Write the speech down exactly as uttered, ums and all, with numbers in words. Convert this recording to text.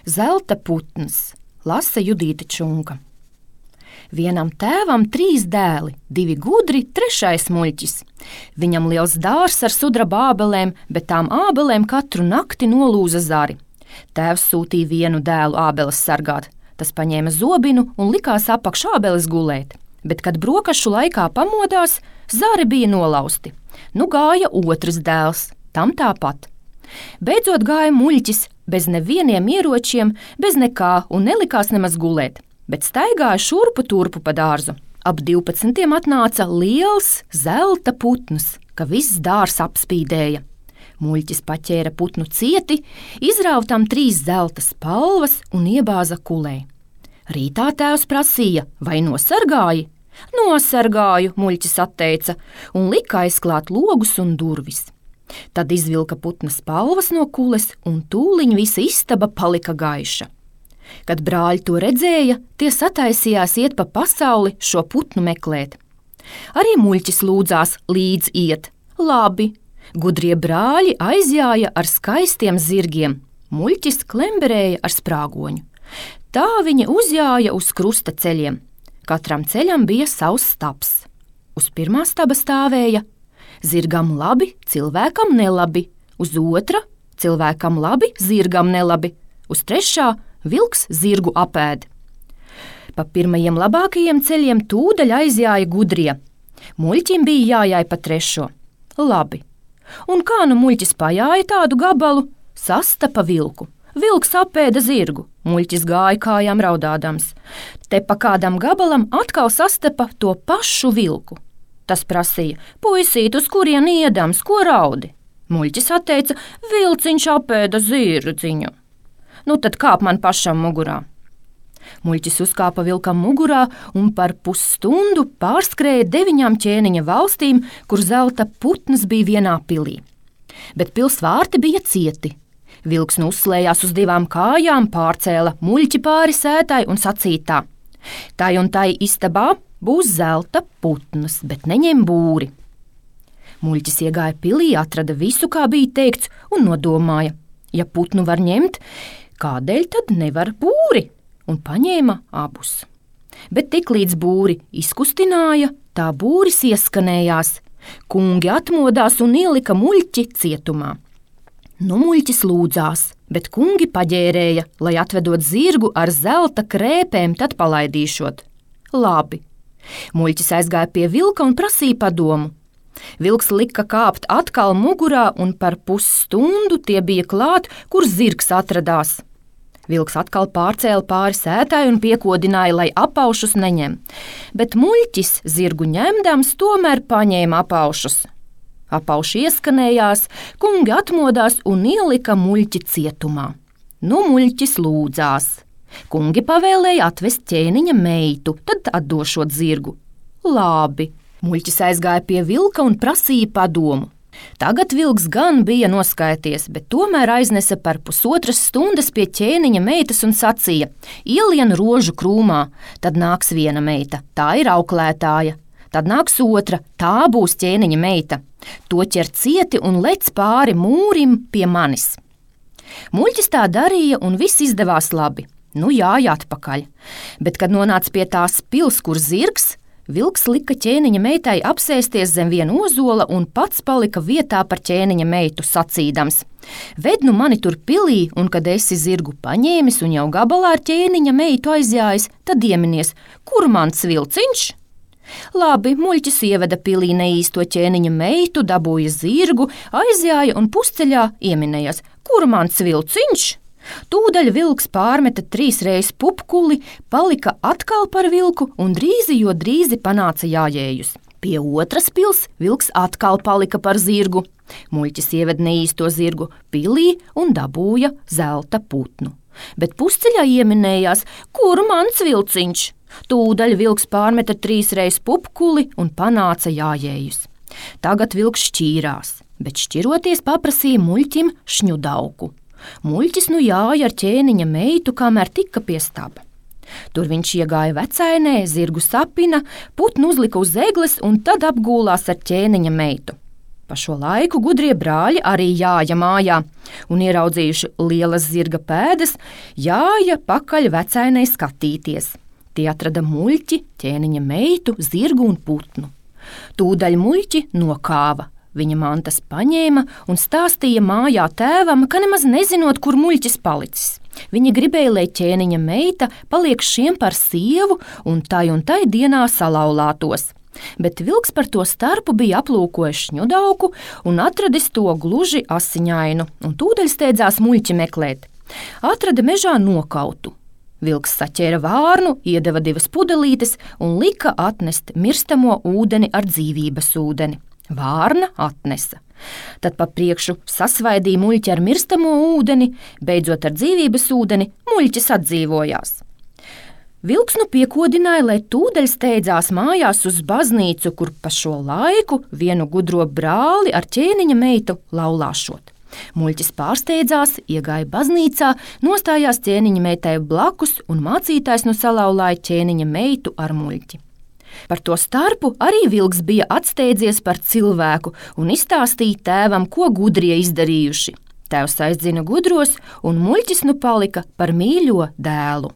Zelta putns, lasa Judīte Čunka. Vienam tēvam trīs dēli, divi gudri, trešais muļķis. Viņam liels dārs ar sudraba ābelēm, bet tām ābelēm katru nakti nolūza zari. Tēvs sūtīja vienu dēlu ābeles sargāt. Tas paņēma zobinu un likās apakš ābeles gulēt. Bet, kad brokašu laikā pamodās, zari bija nolausti. Nu gāja otrs dēls, tam tāpat. Beidzot gāja muļķis, bez nevieniem ieročiem, bez nekā un nelikās nemaz gulēt, bet staigāja šurpu turpu pa dārzu. Ap divpadsmitiem atnāca liels zelta putns, ka viss dārs apspīdēja. Muļķis paķēra putnu cieti, izrāva tam trīs zelta spalvas un iebāza kulē. Rītā tēvs prasīja, vai nosargāji? Nosargāju, muļķis atteica, un lika aizklāt logus un durvis. Tad izvilka putna spalvas no kules, un tūliņ visa istaba palika gaiša. Kad brāļi to redzēja, tie sataisījās iet pa pasauli šo putnu meklēt. Arī muļķis lūdzās līdz iet. Labi, gudrie brāļi aizjāja ar skaistiem zirgiem, muļķis klemberēja ar sprāgoņu. Tā viņi uzjāja uz krusta ceļiem. Katram ceļam bija savs stabs. Uz pirmā staba stāvēja zirgam labi, cilvēkam nelabi, uz otra cilvēkam labi, zirgam nelabi, uz trešā vilks zirgu apēd. Pa pirmajiem labākajiem ceļiem tūdaļ aizjāja gudrie. Muļķim bija jājāj pa trešo. Labi. Un kā nu muļķis pajāja tādu gabalu? Sastapa vilku. Vilks apēda zirgu, muļķis gāja kājām raudādams. Te pa kādam gabalam atkal sastapa to pašu vilku. Tas prasīja, puisīt, uz kurien iedams, ko raudi? Muļķis atteica, vilciņš apēda zirdziņu. Nu tad kāp man pašam mugurā. Muļķis uzkāpa vilkam mugurā un par pusstundu pārskrēja deviņām ķēniņa valstīm, kur zelta putns bija vienā pilī. Bet pils vārti bija cieti. Vilks nu uzslējās uz divām kājām, pārcēla muļķi pāri sētai un sacīja tā. Tai un tai istabā būs zelta putns, bet neņem būri. Muļķis iegāja pilī, atrada visu, kā bija teikts, un nodomāja, ja putnu var ņemt, kādēļ tad nevar būri, un paņēma abus. Bet tik līdz būri izkustināja, tā būris ieskanējās. Kungi atmodās un ielika muļķi cietumā. Nu muļķis lūdzās, bet kungi paģērēja, lai atvedot zirgu ar zelta krēpēm, tad palaidīšot. Labi. Muļķis aizgāja pie vilka un prasīja padomu. Vilks lika kāpt atkal mugurā, un par pusstundu tie bija klāt, kur zirgs atradās. Vilks atkal pārcēla pāri sētai un piekodināja, lai apaušus neņem, bet muļķis zirgu ņemdams tomēr paņēma apaušus. Apauši ieskanējās, kungi atmodās un ielika muļķi cietumā. Nu muļķis lūdzās. Kungi pavēlēja atvest ķēniņa meitu, tad atdošot zirgu. Labi. Muļķis aizgāja pie vilka un prasīja padomu. Tagad vilks gan bija noskaities, bet tomēr aiznesa par pusotras stundas pie ķēniņa meitas un sacīja: ielien rožu krūmā, tad nāks viena meita, tā ir auklētāja. Tad nāks otra, tā būs ķēniņa meita. To ķer cieti un lec pāri mūrim pie manis. Muļķis tā darīja un viss izdevās labi. Nu jāja atpakaļ. Bet, kad nonāca pie tās pils, kur zirgs, vilks lika ķēniņa meitai apsēsties zem viena ozola un pats palika vietā par ķēniņa meitu sacīdams: ved nu mani tur pilī, un kad esi zirgu paņēmis un jau gabalā ar ķēniņa meitu aizjājis, tad ieminies, kur mans vilciņš? Labi, muļķis ieveda pilī neīsto ķēniņa meitu, dabūja zirgu, aizjāja un pusceļā ieminējās, kur mans vilciņš? Tūdaļ vilks pārmeta trīs reizes pupkuli, palika atkal par vilku un drīzi, jo drīzi panāca jājējus. Pie otras pils vilks atkal palika par zirgu. Muļķis ieveda neīsto zirgu pilī un dabūja zelta putnu. Bet pusceļā ieminējās, kur mans vilciņš? Tūdaļ vilks pārmeta trīs reizes pupkuli un panāca jājējus. Tagad vilks šķīrās, bet šķiroties paprasīja muļķim šņudauku. Muļķis nu jāja ar ķēniņa meitu, kamēr tika pie staba. Tur viņš iegāja vecainē, zirgu sapina, putnu uzlika uz egles un tad apgūlās ar ķēniņa meitu. Pa šo laiku gudrie brāļi arī jāja mājā, un ieraudzījuši lielas zirga pēdas, jāja pakaļ vecainei skatīties. Tie atrada muļķi, ķēniņa meitu, zirgu un putnu. Tūdaļ muļķi nokāva, viņa mantas paņēma un stāstīja mājā tēvam, ka nemaz nezinot, kur muļķis palicis. Viņa gribēja, lai ķēniņa meita paliek šiem par sievu un tai un tai dienā salauztos. Bet vilks par to starpu bija aplūkojis šņudauku un atradis to gluži asiņainu, un tūdaļ steidzās muļķi meklēt. Atrada mežā nokautu. Vilks saķēra vārnu, iedeva divas pudelītes un lika atnest mirstamo ūdeni ar dzīvības ūdeni. Vārna atnesa. Tad pa priekšu sasvaidīja muļķi ar mirstamo ūdeni, beidzot ar dzīvības ūdeni muļķis atdzīvojās. Vilks nu piekodināja, lai tūdaļ steidzās mājās uz baznīcu, kur pa šo laiku vienu gudro brāli ar ķēniņa meitu laulāšot. Muļķis pārsteidzās, iegāja baznīcā, nostājās ķēniņa meitai blakus un mācītājs nu salauzāja ķēniņa meitu ar muļķi. Par to starpu arī vilks bija atsteidzies par cilvēku un izstāstīja tēvam, ko gudrie izdarījuši. Tēvs aizdzina gudros, un muļķis nu palika par mīļo dēlu.